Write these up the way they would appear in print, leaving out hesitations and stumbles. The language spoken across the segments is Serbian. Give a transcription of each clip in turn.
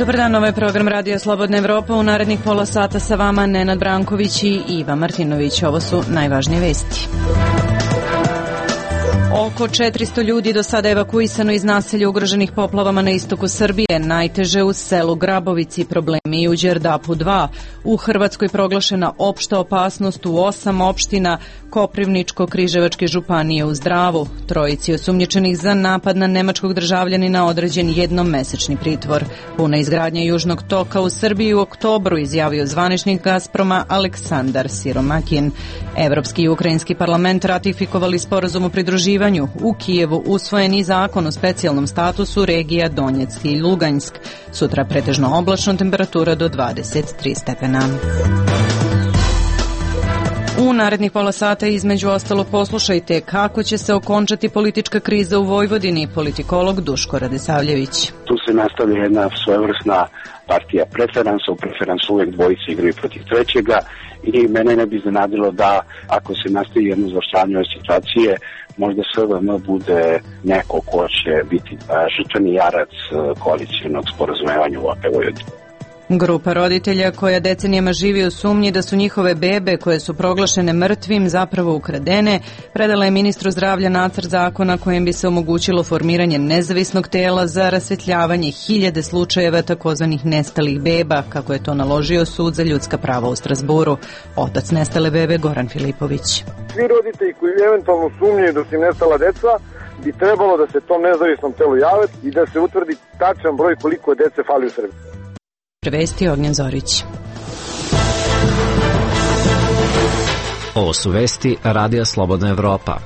Dobar dan, ovo je program Radio Slobodna Evropa. U narednih pola sata sa vama Nenad Branković i Iva Martinović. Ovo su najvažnije vesti. Oko 400 ljudi do sada evakuisano iz naselja ugroženih poplavama na istoku Srbije, najteže u selu Grabovici, problemi i u Đerdapu 2. U Hrvatskoj proglašena opšta opasnost u 8 opština Koprivničko-Križevačke županije u Zdravu. Trojici osumnjičenih za napad na nemačkog državljanina određen jednomesečni pritvor. Puna izgradnja Južnog toka u Srbiji u oktobru, izjavio zvaničnik Gazproma Aleksandar Siromakin. Evropski i ukrajinski parlament ratifikovali sporazum o pridruživanju. U Kijevu usvojen i zakon o specijalnom statusu regija Donjeck i Luganjsk. Sutra pretežno oblačno, temperatura do 23 stepena. U narednih pola sata između ostalo poslušajte kako će se okončati politička kriza u Vojvodini, politikolog Duško Radisavljević. Tu se nastavlja jedna svojevrsna partija preferansa, u preferansu uvek dvojice igraju protiv trećega i mene ne bi iznenadilo da ako se nastavi jedno završavanje ove situacije, možda SVM bude neko ko će biti žrtveni jarac koalicijnog sporazumevanja u Vojvodini. Grupa roditelja koja decenijama živi u sumnji da su njihove bebe koje su proglašene mrtvim zapravo ukradene, predala je ministru zdravlja nacrt zakona kojim bi se omogućilo formiranje nezavisnog tela za rasvetljavanje hiljade slučajeva takozvanih nestalih beba, kako je to naložio Sud za ljudska prava u Strazburu. Otac nestale bebe Goran Filipović. Svi roditelji koji eventualno sumnjaju da su im nestala deca bi trebalo da se tom nezavisnom telu jave i da se utvrdi tačan broj koliko dece fali u Srbiji. Prevesti Ognjen Zorić. Ovo su vesti Radija Slobodna Evropa.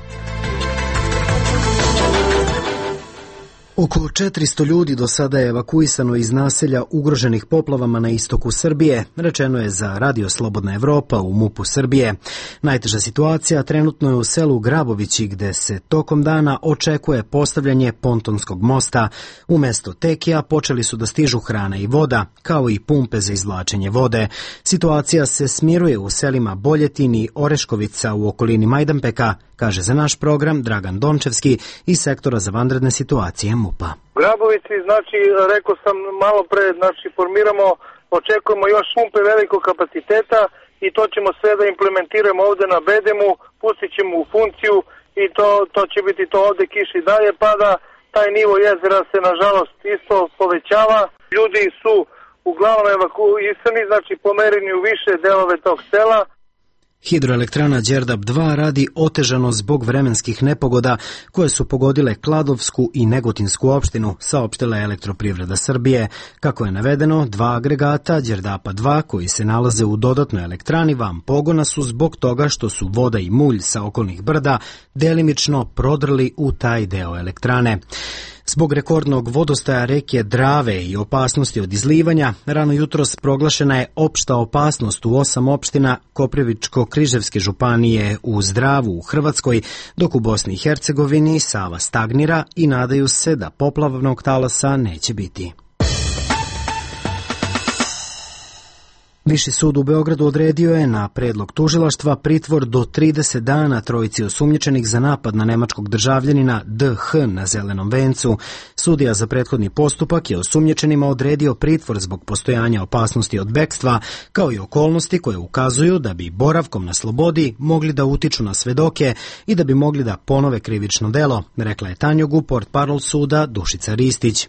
Oko 400 ljudi do sada je evakuisano iz naselja ugroženih poplavama na istoku Srbije, rečeno je za Radio Slobodna Evropa u MUP-u Srbije. Najteža situacija trenutno je u selu Grabovići, gde se tokom dana očekuje postavljanje pontonskog mosta. Umesto tekija počeli su da stižu hrana i voda, kao i pumpe za izvlačenje vode. Situacija se smiruje u selima Boljetin i Oreškovica u okolini Majdanpeka, kaže za naš program Dragan Dončevski iz sektora za vanredne situacije MUP-a. U Grabovici, rekao sam malo pre, očekujemo još pumpe velikog kapaciteta i to ćemo sve da implementiramo ovde na Bedemu, pustit ćemo u funkciju i to će biti to ovde, kiš i dalje pada, taj nivo jezera se nažalost isto povećava, ljudi su uglavnom evakuisani, pomereni u više delove tog sela. Hidroelektrana Đerdap 2 radi otežano zbog vremenskih nepogoda koje su pogodile Kladovsku i Negotinsku opštinu, saopštila je Elektroprivreda Srbije. Kako je navedeno, 2 agregata Đerdapa 2 koji se nalaze u dodatnoj elektrani van pogona su zbog toga što su voda i mulj sa okolnih brda delimično prodrli u taj deo elektrane. Zbog rekordnog vodostaja reke Drave i opasnosti od izlivanja, rano jutros proglašena je opšta opasnost u 8 opština Koprivničko-Križevske županije u Zdravu u Hrvatskoj, dok u Bosni i Hercegovini Sava stagnira i nadaju se da poplavnog talasa neće biti. Viši sud u Beogradu odredio je na predlog tužilaštva pritvor do 30 dana trojici osumnjičenih za napad na nemačkog državljanina DH na Zelenom vencu. Sudija za prethodni postupak je osumnjičenima odredio pritvor zbog postojanja opasnosti od bekstva, kao i okolnosti koje ukazuju da bi boravkom na slobodi mogli da utiču na svedoke i da bi mogli da ponove krivično delo, rekla je Tanjugu portparol suda Dušica Ristić.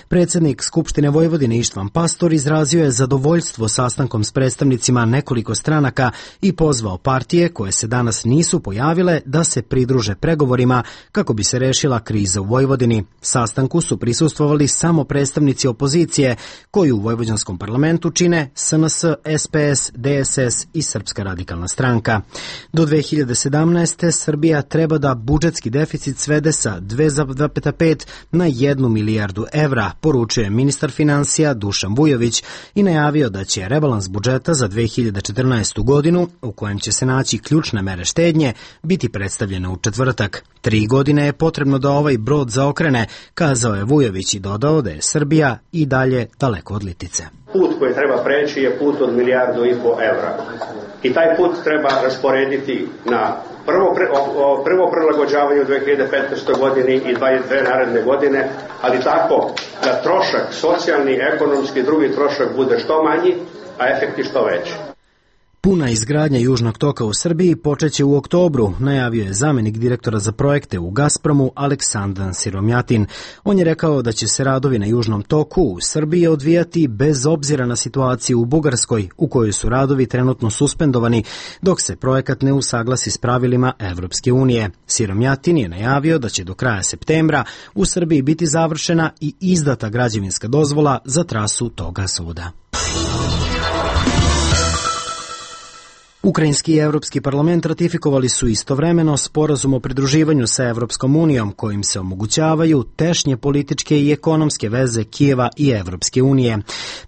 Predsednik Skupštine Vojvodine Ištvan Pastor izrazio je zadovoljstvo sastankom s predstavnicima nekoliko stranaka i pozvao partije koje se danas nisu pojavile da se pridruže pregovorima kako bi se rešila kriza u Vojvodini. Sastanku su prisustvovali samo predstavnici opozicije koji u vojvođanskom parlamentu čine SNS, SPS, DSS i Srpska radikalna stranka. Do 2017. Srbija treba da budžetski deficit svede sa 2,5 na 1 milijardu evra, poručuje ministar finansija Dušan Vujović i najavio da će rebalans budžeta za 2014. godinu, u kojem će se naći ključne mere štednje, biti predstavljena u četvrtak. 3 godine je potrebno da ovaj brod zaokrene, kazao je Vujović i dodao da je Srbija i dalje daleko od litice. Put koji treba preći je put od 1,5 milijardu evra. I taj put treba rasporediti na Prvo prilagođavanje u 2015. godini i 22 naredne godine, ali tako da trošak, socijalni, ekonomski i drugi trošak bude što manji, a efekti što veći. Puna izgradnja Južnog toka u Srbiji počeće u oktobru, najavio je zamenik direktora za projekte u Gazpromu Aleksandar Siromjatin. On je rekao da će se radovi na Južnom toku u Srbiji odvijati bez obzira na situaciju u Bugarskoj, u kojoj su radovi trenutno suspendovani, dok se projekat ne usaglasi s pravilima Evropske unije. Siromjatin je najavio da će do kraja septembra u Srbiji biti završena i izdata građevinska dozvola za trasu tog gasovoda. Ukrajinski i Evropski parlament ratifikovali su istovremeno sporazum o pridruživanju sa Evropskom unijom, kojim se omogućavaju tešnje političke i ekonomske veze Kijeva i Evropske unije.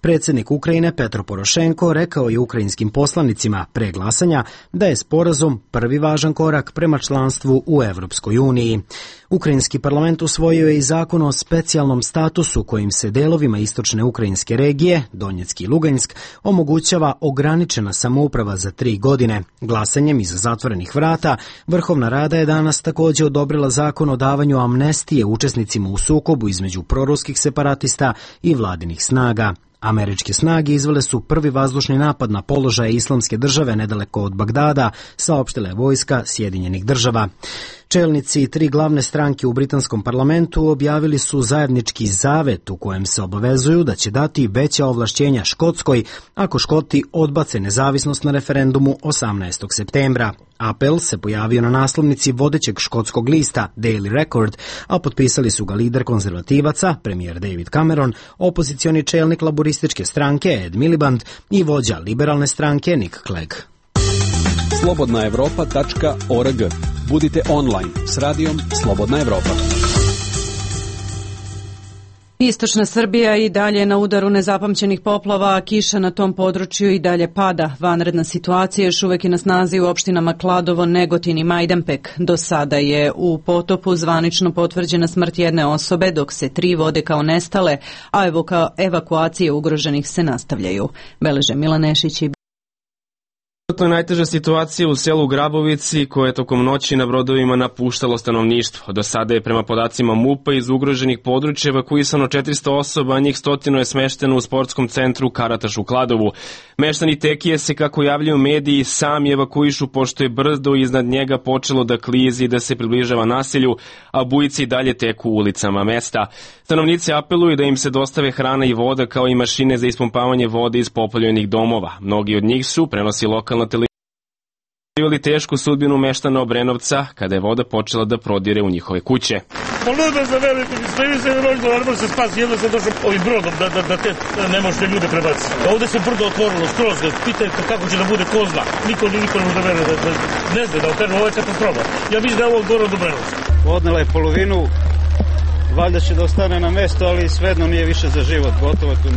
Predsjednik Ukrajine Petro Porošenko rekao je ukrajinskim poslanicima pre glasanja da je sporazum prvi važan korak prema članstvu u Evropskoj uniji. Ukrajinski parlament usvojio je i zakon o specijalnom statusu kojim se delovima istočne ukrajinske regije, Donjecki i Lugansk, omogućava ograničena samouprava za 3 godine. Glasanjem iza zatvorenih vrata, Vrhovna Rada je danas također odobrila zakon o davanju amnestije učesnicima u sukobu između proruskih separatista i vladinih snaga. Američke snage izvele su prvi vazdušni napad na položaje Islamske države nedaleko od Bagdada, saopštila je vojska Sjedinjenih država. Čelnici 3 glavne stranke u britanskom parlamentu objavili su zajednički zavet u kojem se obavezuju da će dati veća ovlašćenja Škotskoj ako Škoti odbace nezavisnost na referendumu 18. septembra. Apel se pojavio na naslovnici vodećeg škotskog lista Daily Record, a potpisali su ga lider konzervativaca, premijer David Cameron, opozicioni čelnik laborističke stranke Ed Miliband i vođa liberalne stranke Nick Clegg. slobodnaevropa.org. Budite online s radijom Slobodna Evropa. Istočna Srbija i dalje na udaru nezapamćenih poplava, a kiša na tom području i dalje pada. Vanredna situacija još uvek je na snazi u opštinama Kladovo, Negotin i Majdanpek. Do sada je u potopu zvanično potvrđena smrt jedne osobe, dok se 3 vode kao nestale, a evakuacije ugroženih se nastavljaju. Beleže Milan Nešić i To je najteža situacija u selu Grabovici, koje je tokom noći na brodovima napuštalo stanovništvo. Do sada je prema podacima MUP-a iz ugroženih područja evakuisano 400 osoba, a njih 100 je smešteno u sportskom centru Karataš u Kladovu. Meštani Tekije se, kako javljaju mediji, sami evakuišu pošto je brdo iznad njega počelo da klizi i da se približava naselju, a bujice i dalje teku ulicama mesta. Stanovnici apeluju da im se dostave hrana i voda kao i mašine za ispumpavanje vode iz poplavljenih domova. Mnogi od njih su, prenosi lokalna televizija, tešku sudbinu meštana Obrenovca kada je voda počela da prodire u njihove kuće. Luda za veliko, sve mi se rođilo, ne može se spasi, jedno sam došao ovim brodom da te ne možete ljude prebaciti. Ovde se brdo otvorilo skroz, pitajte kako će da bude ko zna. Niko ne može da vere, ne zna da okažu, ovo je katastrofa. Ja mislim da je ovo gore od Obrenovca. Odnela je polovinu, valjda će da ostane na mesto, ali svejedno nije više za život, gotovo tu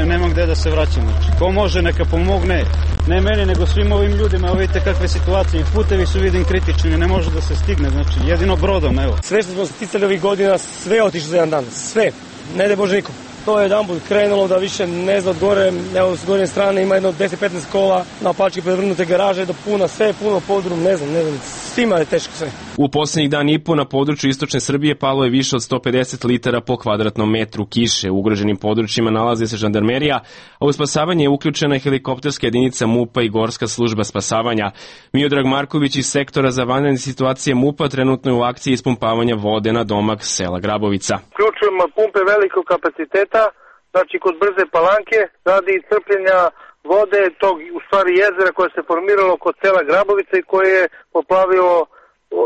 nema gde da se vraćam. Znači, ko može neka pomogne, ne meni nego svim ovim ljudima, evo vidite kakve situacije, putevi su vidim kritični, ne može da se stigne, znači jedino brodom, evo. Sve što smo sticali ovih godina, sve je otišlo za jedan dan, sve, ne da Bože nikom. To je jedan put krenulo da više ne zna od gore, evo s gornje strane ima jedno 10-15 kola, na pačke prevrnute garaže, do puna, sve je puno podrum, ne znam, svima je teško sve. U posljednjih dan i po na području istočne Srbije palo je više od 150 litara po kvadratnom metru kiše. U ugroženim područjima nalazi se žandarmerija, a u spasavanje je uključena helikopterska jedinica MUP-a i Gorska služba spasavanja. Miodrag Marković iz sektora za vanredne situacije MUP-a trenutno je u akciji ispumpavanja vode na domak sela Grabovica. Uključujemo pumpe velikog kapaciteta, znači kod Brze Palanke, radi crpljenja vode tog, u stvari jezera koje se formiralo kod sela Grabovica i koje je poplavilo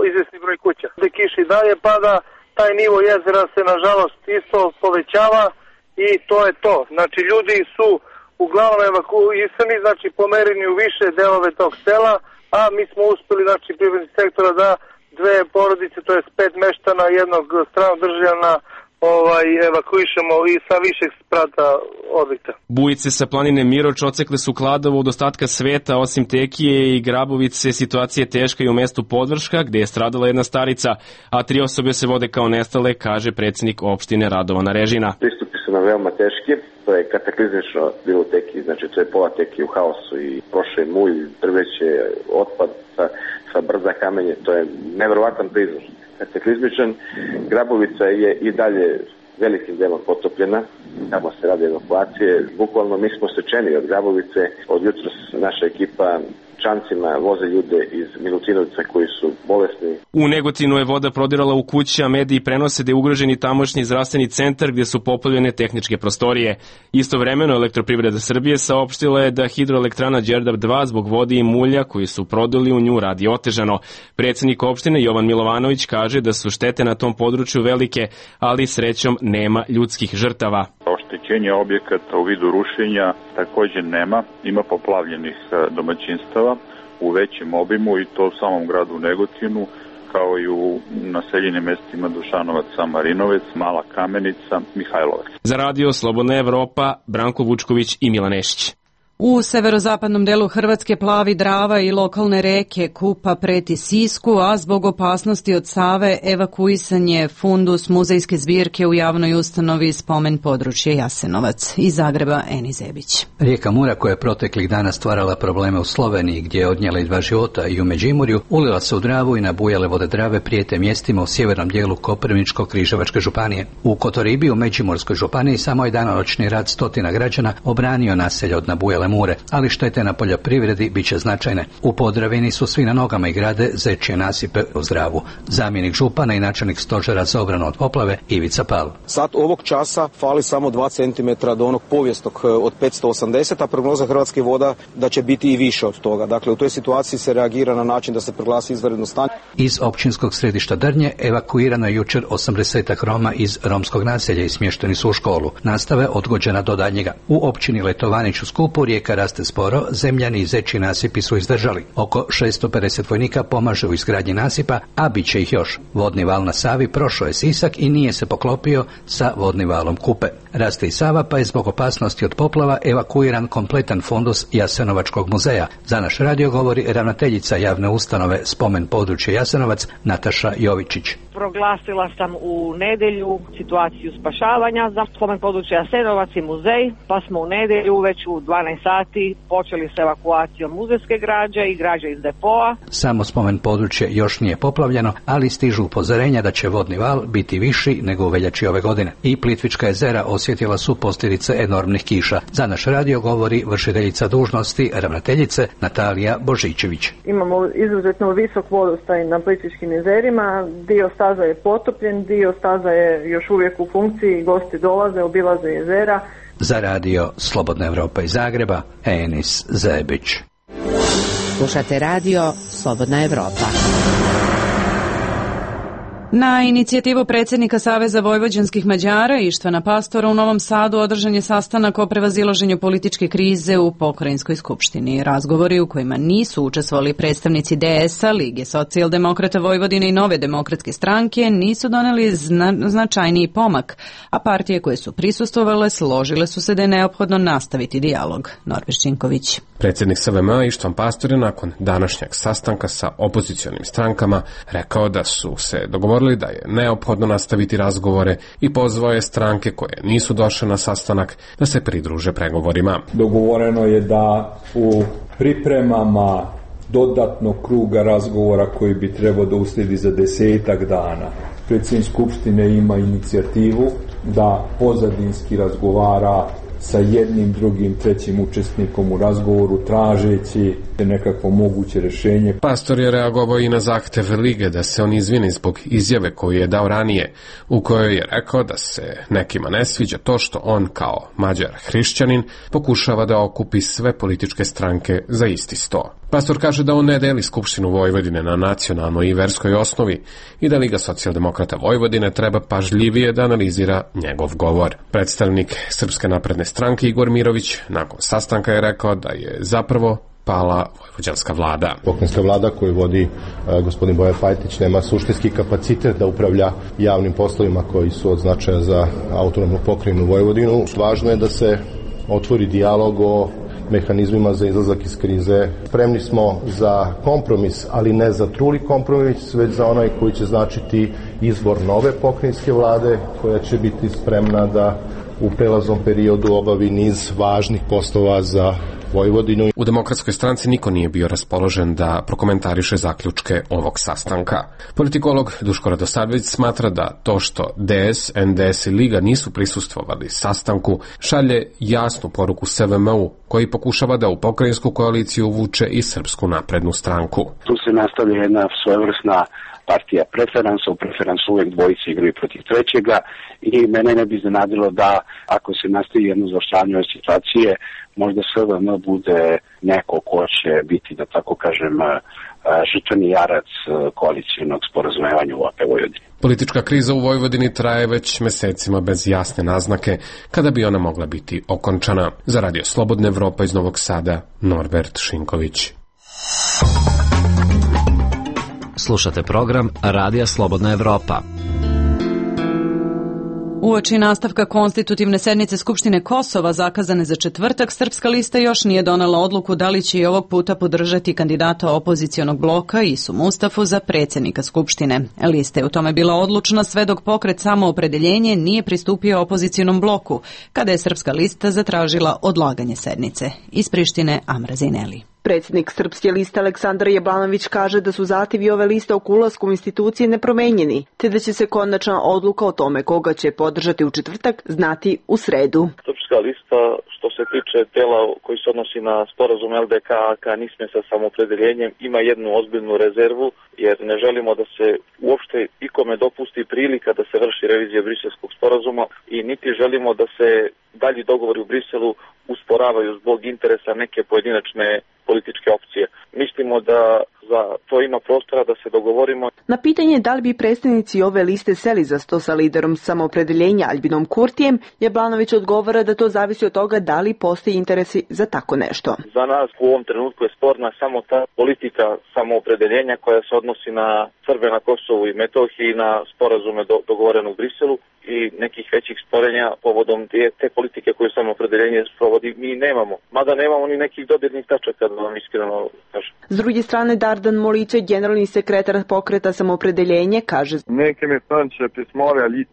izvesni broj kuća. Gde kiša i dalje pada, taj nivo jezera se nažalost isto povećava i to je to. Znači ljudi su uglavnom evakuisani, znači pomereni u više delove tog sela, a mi smo uspeli, znači privrednih sektora da 2 porodice, to je 5 meštana jednog stranog državljana evakuišemo i sa višeg sprata objekta. Bujice sa planine Miroč ocekle su Kladovo od ostatka sveta, osim Tekije i Grabovice. Situacija je teška i u mestu Podvrška, gde je stradala jedna starica, a 3 osobe se vode kao nestale, kaže predsjednik opštine Radovan Režina. Pristupi su nam veoma teški. to je kataklizmično bilo u Teki, znači to je pola Teki u haosu i koše, mulj, drveće, otpad sa brda, kamenje, to je neverovatan prizor. Kataklizmičan, Grabovica je i dalje velikim delom potopljena, tamo se radi evakuacije, bukvalno mi smo sečeni od Grabovice, od jutros naša ekipa čancima voze ljude iz Milutinovca koji su bolesni. U Negotinu je voda prodirala u kuće, a mediji prenose da je ugroženi tamošnji zdravstveni centar gdje su poplavljene tehničke prostorije. Istovremeno Elektroprivreda Srbije saopštila je da hidroelektrana Đerdap 2 zbog vode i mulja koji su produli u nju radi otežano. Predsjednik opštine Jovan Milovanović kaže da su štete na tom području velike, ali srećom nema ljudskih žrtava. Oštećenje objekata u vidu rušenja također nema, ima poplavljenih domaćinstava u većem obimu i to u samom gradu Negotinu, kao i u naseljenim mestima Dušanovac, Marinovec, Mala Kamenica, Mihajlovac. Za radio Slobodna Evropa, Branko Vučković i Milan Nešić. U severozapadnom delu Hrvatske plavi Drava i lokalne reke Kupa preti Sisku, a zbog opasnosti od Save evakuisan je fundus muzejske zbirke u javnoj ustanovi Spomen područje Jasenovac. Iz Zagreba Eni Zebić. Rijeka Mura, koja je proteklih dana stvarala probleme u Sloveniji, gdje je odnijela i 2 života, i u Međimurju, ulila se u Dravu i nabujale vode Drave prijete mjestima u sjevernom dijelu Koprivničko-Križevačke županije. U Kotoribi u Međimurskoj županiji samo je danonoćni rad stotina građana obranio naselje od nabujale Mure, ali štete na poljoprivredi bit će značajne. U Podravini su svi na nogama i grade zečje nasipe u Zdravu. Zamjenik župana i načelnik stožera za obranu od poplave Ivica Pal. Sad ovog časa fali samo 2 cm do onog povijesnog od 580, a prognoza Hrvatskih voda da će biti i više od toga. Dakle, u toj situaciji se reagira na način da se proglasi izvanredno stanje. Iz općinskog središta Drnje evakuirano je jučer 80 Roma iz romskog naselja i smješteni su u školu. Nastava je odgođena do daljnjega. U općini Letovanić u Skupu rijeka raste sporo, zemljani i zečji nasipi su izdržali. Oko 650 vojnika pomaže u izgradnji nasipa, a bit će ih još. Vodni val na Savi prošao je Sisak i nije se poklopio sa vodnim valom Kupe. Raste i Sava, pa je zbog opasnosti od poplava evakuiran kompletan fundus Jasenovačkog muzeja. Za naš radio govori ravnateljica javne ustanove Spomen područje Jasenovac Nataša Jovičić. Proglasila sam u nedjelju situaciju spašavanja za Spomen područje Jasenovac i muzej, pa smo u nedjelju već u 12 sati počeli s evakuacijom muzejske građe i građe iz depoa. Samo Spomen područje još nije poplavljeno, ali stižu upozorenja da će vodni val biti viši nego u veljači ove godine. I Plitvička jezera osjetila su posljedice enormnih kiša. Za naš radio govori vršiteljica dužnosti ravnateljice Natalija Božičević. Imamo izuzetno visok vodostaj na Plitvičkim jezerima, dio staza je potopljen, dio staza je još uvijek u funkciji, gosti dolaze, obilaze jezera. Za radio Slobodna Evropa iz Zagreba, Enis Zebić. Slušate radio Slobodna Evropa. Na inicijativu predsjednika Saveza vojvođanskih Mađara Ištvana Pastora u Novom Sadu održan je sastanak o prevazilaženju političke krize u Pokrajinskoj skupštini. Razgovori u kojima nisu učestvovali predstavnici DS-a, Lige socijaldemokrata Vojvodine i Nove demokratske stranke nisu doneli značajniji pomak, a partije koje su prisustvovale složile su se da je neophodno nastaviti dijalog. Norbert Činković. Predsjednik SVM Ištvan Pastor je nakon današnjeg sastanka sa opozicionim strankama rekao da su se dogovorili da je neophodno nastaviti razgovore i pozvao je stranke koje nisu došle na sastanak da se pridruže pregovorima. Dogovoreno je da u pripremama dodatnog kruga razgovora koji bi trebao da uslijedi za 10 dana. Predsjednik Skupštine ima inicijativu da pozadinski razgovara sa jednim, drugim, trećim učesnikom u razgovoru, tražeći nekakvo moguće rješenje. Pastor je reagovao i na zahtev Lige da se on izvini zbog izjave koju je dao ranije, u kojoj je rekao da se nekima ne sviđa to što on kao Mađar hrišćanin pokušava da okupi sve političke stranke za isti sto. Pastor kaže da on ne deli Skupštinu Vojvodine na nacionalnoj i verskoj osnovi i da Liga socijaldemokrata Vojvodine treba pažljivije da analizira njegov govor. Predstavnik Srpske napredne stranke Igor Mirović nakon sastanka je rekao da je zapravo pala vojvođanska vlada. Pokrajinska vlada koju vodi gospodin Bojan Pajtić nema suštinski kapacitet da upravlja javnim poslovima koji su od značaja za autonomnu pokrajinu Vojvodinu. Važno je da se otvori dijalog o mehanizmima za izlazak iz krize. Spremni smo za kompromis, ali ne za truli kompromis, već za onaj koji će značiti izbor nove pokrajinske vlade koja će biti spremna da u prelaznom periodu obavi niz važnih poslova za Vojvodinu. U Demokratskoj stranci niko nije bio raspoložen da prokomentariše zaključke ovog sastanka. Politikolog Duško Radosavljević smatra da to što DS, NDS i Liga nisu prisustvovali sastanku šalje jasnu poruku SVM-u, koji pokušava da u pokrajinsku koaliciju uvuče i Srpsku naprednu stranku. Tu se nastavlja jedna svojevrsna partija preferansa, u preferansu uvek dvojice igraju protiv trećega i mene ne bi iznenadilo da ako se nastavi jedno zaoštravanje ove situacije, možda SVM bude neko ko će biti, da tako kažem, žrtveni jarac koalicijnog sporazumevanja u AP Vojvodini. Politička kriza u Vojvodini traje već mesecima bez jasne naznake kada bi ona mogla biti okončana. Za Radio Slobodna Evropa iz Novog Sada, Norbert Šinković. Slušate program Radija Slobodna Evropa. Uoči nastavka konstitutivne sednice Skupštine Kosova zakazane za četvrtak, Srpska lista još nije donela odluku da li će i ovog puta podržati kandidata opozicionog bloka Isu Mustafu za predsjednika Skupštine. Lista je u tome bila odlučna sve dok pokret Samoopredeljenje nije pristupio opozicionom bloku, kada je Srpska lista zatražila odlaganje sednice. Iz Prištine, Amra Zineli. Predsjednik Srpske liste Aleksandar Jablanović kaže da su zahtjevi ove liste oko ulaska u institucije nepromenjeni, te da će se konačna odluka o tome koga će podržati u četvrtak znati u sredu. Srpska lista, što se tiče tela koji se odnosi na sporazum LDK-AK NISME sa Samoopredeljenjem, ima jednu ozbiljnu rezervu, jer ne želimo da se uopšte ikome dopusti prilika da se vrši revizija briselskog sporazuma i niti želimo da se dalji dogovori u Briselu usporavaju zbog interesa neke pojedinačne političke opcije. Mislimo da za to ima prostora da se dogovorimo. Na pitanje da li bi predstavnici ove liste seli za sto sa liderom Samoopredeljenja Albinom Kurtijem, Jablanović odgovara da to zavisi od toga da li postoji interesi za tako nešto. Za nas u ovom trenutku je sporna samo ta politika samoopredeljenja koja se odnosi na Srbe na Kosovu i Metohiji i na sporazume dogovorene u Briselu i nekih većih sporenja povodom te politike koju Samoopredeljenje sprovodi mi nemamo. Mada nemamo ni nekih dodirnih tačaka, da vam iskreno kažem. S druge strane, Dardan Moliće, generalni sekretar pokreta Samoopredeljenje, kaže: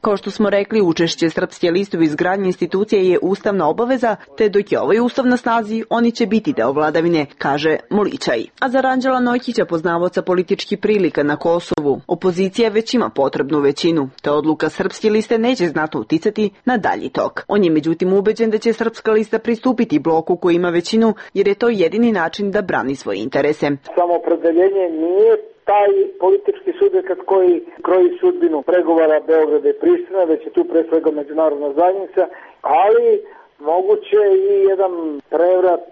Kao što smo rekli, učešće Srpske liste u izgradnji institucije je ustavna obaveza, te dok je ovaj ustav na snazi, oni će biti deo vladavine, kaže Molićaj. A za Ranđela Nojkića, poznavaoca političkih prilika na Kosovu, opozicija već ima potrebnu većinu, te odluka Srpske liste neće znatno uticati na dalji tok. On je međutim ubeđen da će Srpska lista pristupiti bloku koji ima većinu, jer je to jedini način da brani svoje interese. Samoopredeljenje nije taj politički subjekat koji kroji sudbinu pregovora Beograda i Priština, već je tu pre svega međunarodna zajednica, ali moguće i jedan prevrat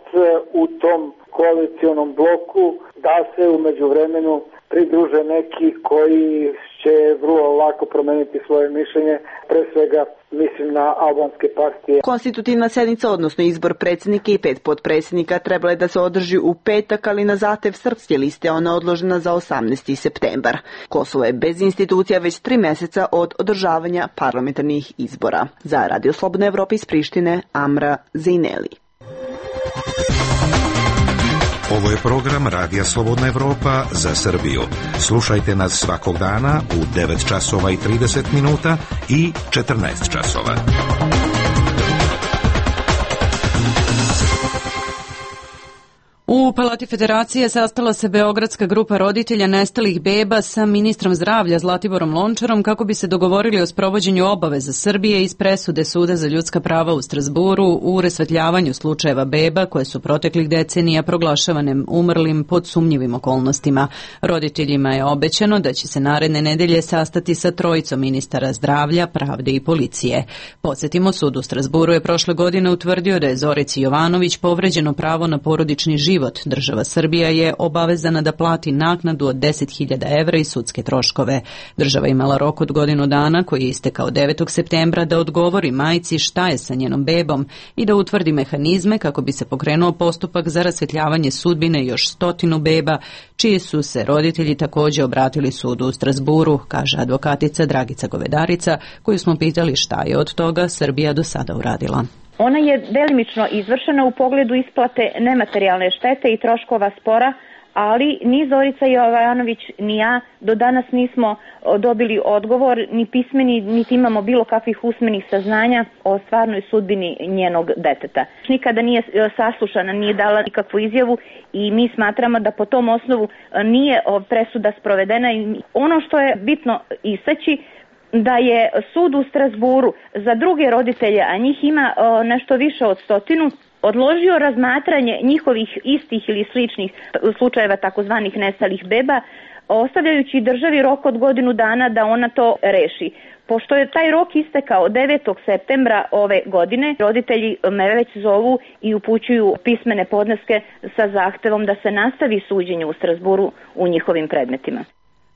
u tom koalicionom bloku da se u međuvremenu pridruže neki koji će vrlo lako promeniti svoje mišljenje, pre svega mislim na albanske partije. Konstitutivna sednica, odnosno izbor predsjednika i 5 potpredsjednika, trebala je da se održi u petak, ali na zahtev Srpske liste ona odložena za 18. septembar. Kosovo je bez institucija već 3 mjeseca od održavanja parlamentarnih izbora. Za Radio Slobodna Evropa iz Prištine, Amra Zineli. Ovo je program Radija Slobodna Evropa za Srbiju. Slušajte nas svakog dana u 9 časova i 30 minuta i 14 časova. U Palati Federacije sastala se Beogradska grupa roditelja nestalih beba sa ministrom zdravlja Zlatiborom Lončarom kako bi se dogovorili o sprovođenju obaveza Srbije iz presude Suda za ljudska prava u Strasburu u rasvetljavanju slučajeva beba koje su proteklih decenija proglašavane umrlim pod sumnjivim okolnostima. Roditeljima je obećano da će se naredne nedelje sastati sa trojicom ministara zdravlja, pravde i policije. Podsjetimo, Sud u Strasburu je prošle godine utvrdio da je Zorici Jovanović povređeno pravo na porodični život. Država Srbija je obavezana da plati naknadu od 10.000 evra i sudske troškove. Država imala rok od godinu dana koji je istekao 9. septembra da odgovori majci šta je sa njenom bebom i da utvrdi mehanizme kako bi se pokrenuo postupak za rasvetljavanje sudbine još 100 beba, čiji su se roditelji također obratili sudu u Strasburu, kaže advokatica Dragica Govedarica, koju smo pitali šta je od toga Srbija do sada uradila. Ona je delimično izvršena u pogledu isplate nematerijalne štete i troškova spora, ali ni Zorica Jovanović ni ja do danas nismo dobili odgovor, ni pismeni, niti imamo bilo kakvih usmenih saznanja o stvarnoj sudbini njenog deteta. Nikada nije saslušana, nije dala nikakvu izjavu i mi smatramo da po tom osnovu nije presuda sprovedena. Ono što je bitno istaći, da je sud u Strasburu za druge roditelje, a njih ima nešto više od 100, odložio razmatranje njihovih istih ili sličnih slučajeva takozvanih nestalih beba, ostavljajući državi rok od godinu dana da ona to reši. Pošto je taj rok istekao 9. septembra ove godine, roditelji me već zovu i upućuju pismene podneske sa zahtevom da se nastavi suđenje u Strasburu u njihovim predmetima.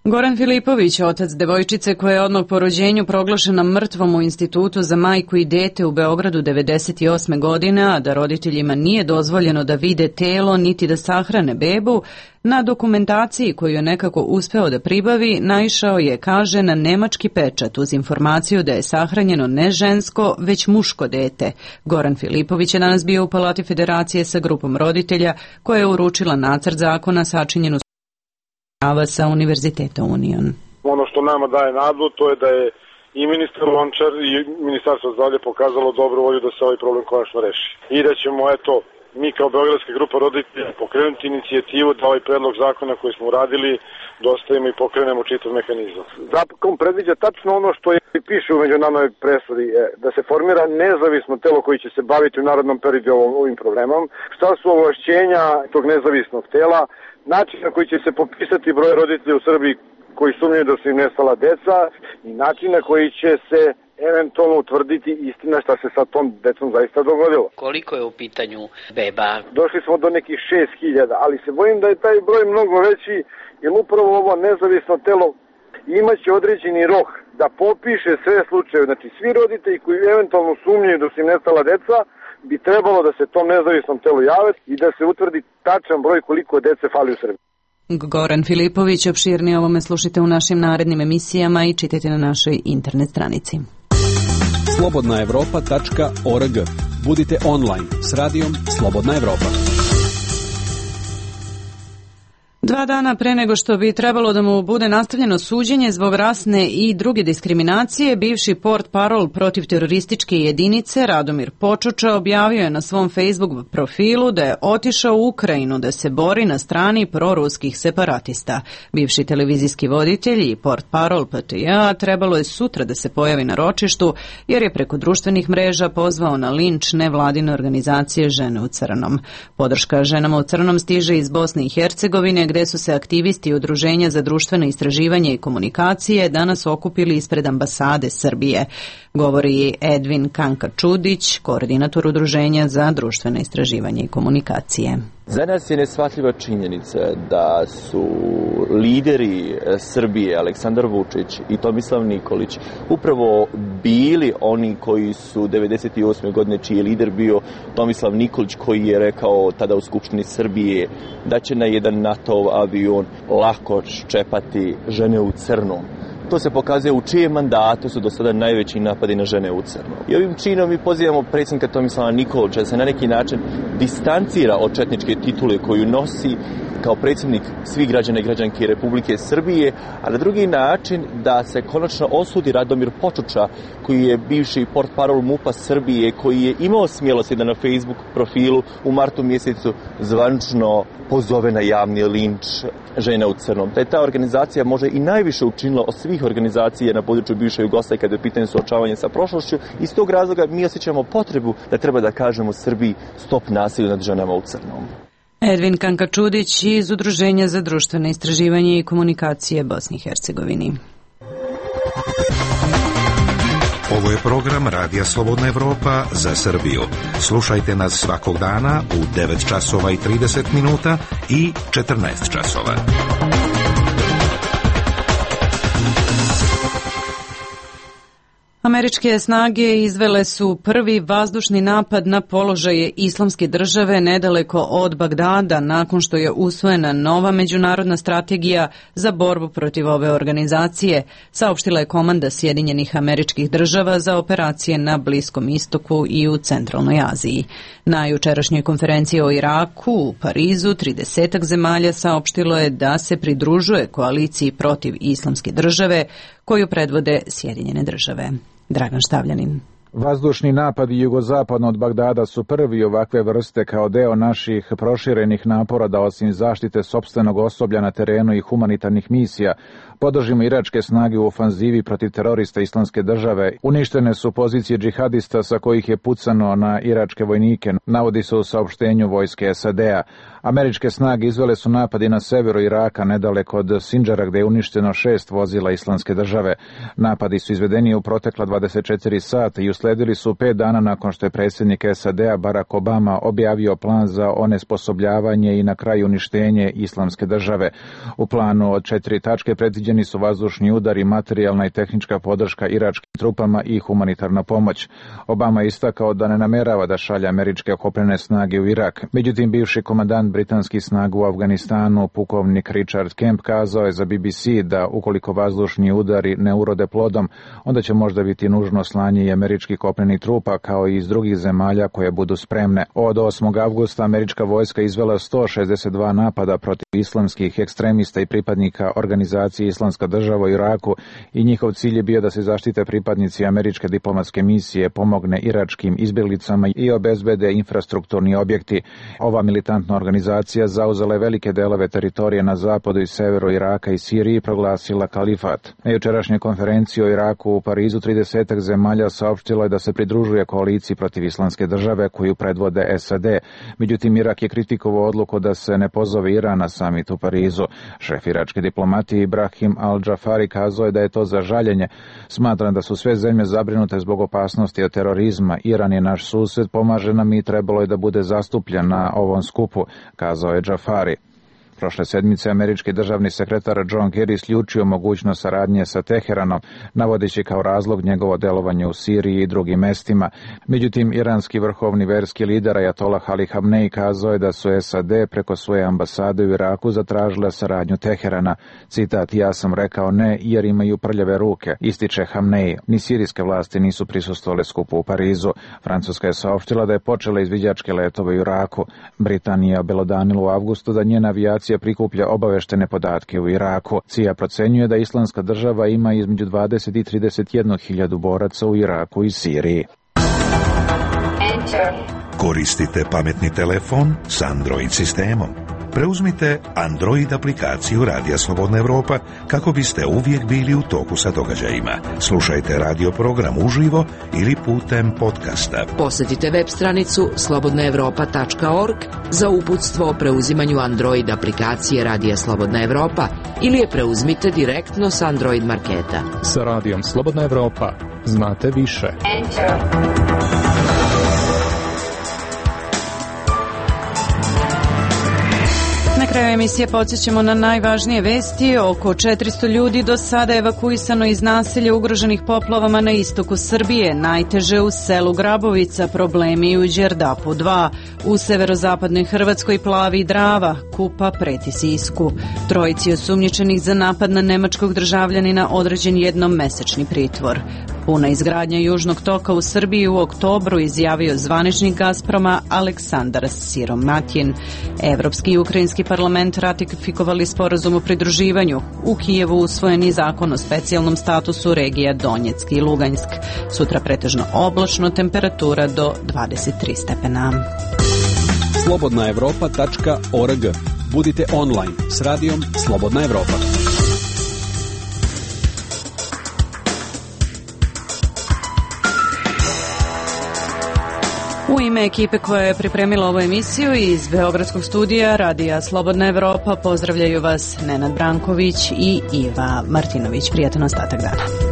Goran Filipović, otac devojčice koja je odmah po rođenju proglašena mrtvom u Institutu za majku i dete u Beogradu 98. godine, a da roditeljima nije dozvoljeno da vide telo niti da sahrane bebu, na dokumentaciji koju je nekako uspeo da pribavi, naišao je, kaže, na nemački pečat uz informaciju da je sahranjeno ne žensko, već muško dete. Goran Filipović je danas bio u Palati Federacije sa grupom roditelja koja je uručila nacrt zakona sačinjenu sa Univerziteta Union. Ono što nama daje nadu, to je da je i ministar Lončar i Ministarstvo zdravlja pokazalo dobru volju da se ovaj problem konačno reši. I da ćemo, mi kao Beogradska grupa roditelja pokrenuti inicijativu da ovaj predlog zakona koji smo uradili dostavimo i pokrenemo čitav mehanizam. Zakon predviđa tačno ono što piše u međunarodnoj presudi, da se formira nezavisno telo koji će se baviti u narednom periodu ovim problemom. Šta su ovlašćenja tog nezavisnog tela, način na koji će se popisati broj roditelja u Srbiji koji sumnjaju da su im nestala deca i način na koji će se eventualno utvrditi istina šta se sa tom decom zaista dogodilo. Koliko je u pitanju beba? Došli smo do nekih 6.000, ali se bojim da je taj broj mnogo veći, jer upravo ovo nezavisno telo imaće određeni rok da popiše sve slučaje. Znači svi roditelji koji eventualno sumnjaju da su im nestala deca bi trebalo da se tom nezavisnom telu jave i da se utvrdi tačan broj koliko dece fali u Srbiji. Goran Filipović, opširnije ovome slušajte u našim narednim emisijama i čitajte na našoj internet stranici. slobodnaevropa.org. Budite online s radijom Slobodna Evropa. 2 dana pre nego što bi trebalo da mu bude nastavljeno suđenje zbog rasne i druge diskriminacije, bivši portparol protiv terorističke jedinice Radomir Počuča objavio je na svom Facebook profilu da je otišao u Ukrajinu da se bori na strani proruskih separatista. Bivši televizijski voditelj i portparol PTJ trebalo je sutra da se pojavi na ročištu jer je preko društvenih mreža pozvao na linč nevladine organizacije Žene u crnom. Podrška ženama u crnom stiže iz Bosne i Hercegovine, gde su se aktivisti Udruženja za društveno istraživanje i komunikacije danas okupili ispred ambasade Srbije. Govori Edvin Kanka-Čudić, koordinator Udruženja za društveno istraživanje i komunikacije. Za nas je neshvatljiva činjenica da su lideri Srbije, Aleksandar Vučić i Tomislav Nikolić, upravo bili oni koji su 98. godine, čiji je lider bio Tomislav Nikolić, koji je rekao tada u Skupštini Srbije da će na jedan NATO avion lako ščepati žene u crnom. To se pokazuje u čijem mandatu su do sada najveći napadi na žene u crnom. I ovim činom mi pozivamo predsjednika Tomislava Nikolića da se na neki način distancira od četničke titule koju nosi kao predsjednik svih građana i građanki Republike Srbije, a na drugi način da se konačno osudi Radomir Počuča, koji je bivši portparol MUP-a Srbije, koji je imao smjelosti da na Facebook profilu u martu mjesecu zvanično pozove na javni linč žena u crnom. Da je ta organizacija možda i najviše učinila od svih organizacija na području bivše Jugoslavije kada je u pitanju suočavanja sa prošlošću. Iz tog razloga mi osjećamo potrebu da treba da kažemo Srbiji stop nasilju nad ženama u crnom. Edvin Kanka-Čudić iz Udruženja za društveno istraživanje i komunikacije Bosni i Hercegovini. Ovo je program Radija Slobodna Evropa za Srbiju. Slušajte nas svakog dana u 9 časova i 30 minuta i 14 časova. Američke snage izvele su prvi vazdušni napad na položaje Islamske države nedaleko od Bagdada nakon što je usvojena nova međunarodna strategija za borbu protiv ove organizacije, saopštila je komanda Sjedinjenih Američkih Država za operacije na Bliskom istoku i u Centralnoj Aziji. Na jučerašnjoj konferenciji o Iraku u Parizu 30 zemalja saopštilo je da se pridružuje koaliciji protiv Islamske države koju predvode Sjedinjene države. Dragan Štavljanin. Vazdušni napadi jugozapadno od Bagdada su prvi ovakve vrste kao deo naših proširenih napora da osim zaštite sopstvenog osoblja na terenu i humanitarnih misija podržimo iračke snage u ofanzivi protiv terorista Islamske države. Uništene su pozicije džihadista sa kojih je pucano na iračke vojnike, navodi se u saopštenju vojske SAD-a. Američke snage izvele su napadi na severu Iraka, nedaleko od Sindžara, gde je uništeno 6 vozila Islamske države. Napadi su izvedeni u protekla 24 sata i usledili su 5 dana nakon što je predsjednik SAD-a Barack Obama objavio plan za onesposobljavanje i na kraju uništenje Islamske države. U planu od 4 tačke predviđeni su vazdušni udari, materijalna i tehnička podrška iračkim trupama i humanitarna pomoć. Obama je istakao da ne namerava da šalje američke kopnene snage u Irak. Međutim, bivši komandant britanskih snaga u Afganistanu, pukovnik Richard Kemp, kazao je za BBC da ukoliko vazdušni udari ne urode plodom, onda će možda biti nužno slanje i američkih kopnenih trupa kao i iz drugih zemalja koje budu spremne. Od 8. avgusta američka vojska izvela 162 napada protiv islamskih ekstremista i pripadnika organizacije Islamska država u Iraku i njihov cilj je bio da se zaštite pripadnici američke diplomatske misije, pomogne iračkim izbjeglicama i obezbede infrastrukturni objekti. Ova militantna organizacija zauzela je velike delove teritorije na zapadu i severu Iraka i Siriji i proglasila kalifat. Na jučerašnjoj konferenciji o Iraku u Parizu 30 zemalja saopštilo je da se pridružuje koaliciji protiv Islamske države koju predvode SAD. Međutim, Irak je kritikovao odluku da se ne pozove Iran na samit u Parizu. Šef iračke diplomatije Ibrahim al-Džafari kazao je da je to za žaljenje. Smatram da su sve zemlje zabrinute zbog opasnosti od terorizma. Iran je naš sused, pomaže nam i trebalo je da bude zastupljen na ovom skupu, kazao je Džafari. Prošle sedmice američki državni sekretar John Kerry isključio mogućnost saradnje sa Teheranom, navodeći kao razlog njegovo delovanje u Siriji i drugim mestima. Međutim, iranski vrhovni verski lider Ajatolah Ali Hamnej kazao je da su SAD preko svoje ambasade u Iraku zatražile saradnju Teherana. Citat, ja sam rekao ne jer imaju prljave ruke, ističe Hamnej. Ni sirijske vlasti nisu prisustvovale skupu u Parizu. Francuska je saopštila da je počela izviđačke letove u Iraku. Britanija obelodanila u avgustu da njena avijacija prikuplja obaveštene podatke u Iraku. CIA procenjuje da Islamska država ima između 20 i 31 hiljadu boraca u Iraku i Siriji. Koristite pametni telefon s Android sistemom. Preuzmite Android aplikaciju Radija Slobodna Evropa kako biste uvijek bili u toku sa događajima. Slušajte radio program uživo ili putem podcasta. Posjetite web stranicu slobodnaevropa.org za uputstvo o preuzimanju Android aplikacije Radija Slobodna Evropa ili je preuzmite direktno s Android marketa. Sa Radijom Slobodna Evropa znate više. Na kraju emisije podsjećamo na najvažnije vesti. Oko 400 ljudi do sada evakuisano iz naselja ugroženih poplavama na istoku Srbije. Najteže u selu Grabovica, problemi u Đerdapu 2. U severozapadnoj Hrvatskoj plavi Drava, Kupa preti Sisku. Trojici osumnjičenih za napad na nemačkog državljanina određen jednomesečni pritvor. Puna izgradnja Južnog toka u Srbiji u oktobru, izjavio zvaničnik Gazproma Aleksandar Siromatin. Evropski i ukrajinski parlament ratifikovali sporazum o pridruživanju. U Kijevu usvojeni zakon o specijalnom statusu regija Donjeck i Lugansk. Sutra pretežno oblačno, temperatura do 23 stepena. slobodnaevropa.org. Budite online s radijom Slobodna Evropa. U ime ekipe koja je pripremila ovu emisiju iz Beogradskog studija Radija Slobodna Evropa pozdravljaju vas Nenad Branković i Iva Martinović. Prijatan ostatak dana.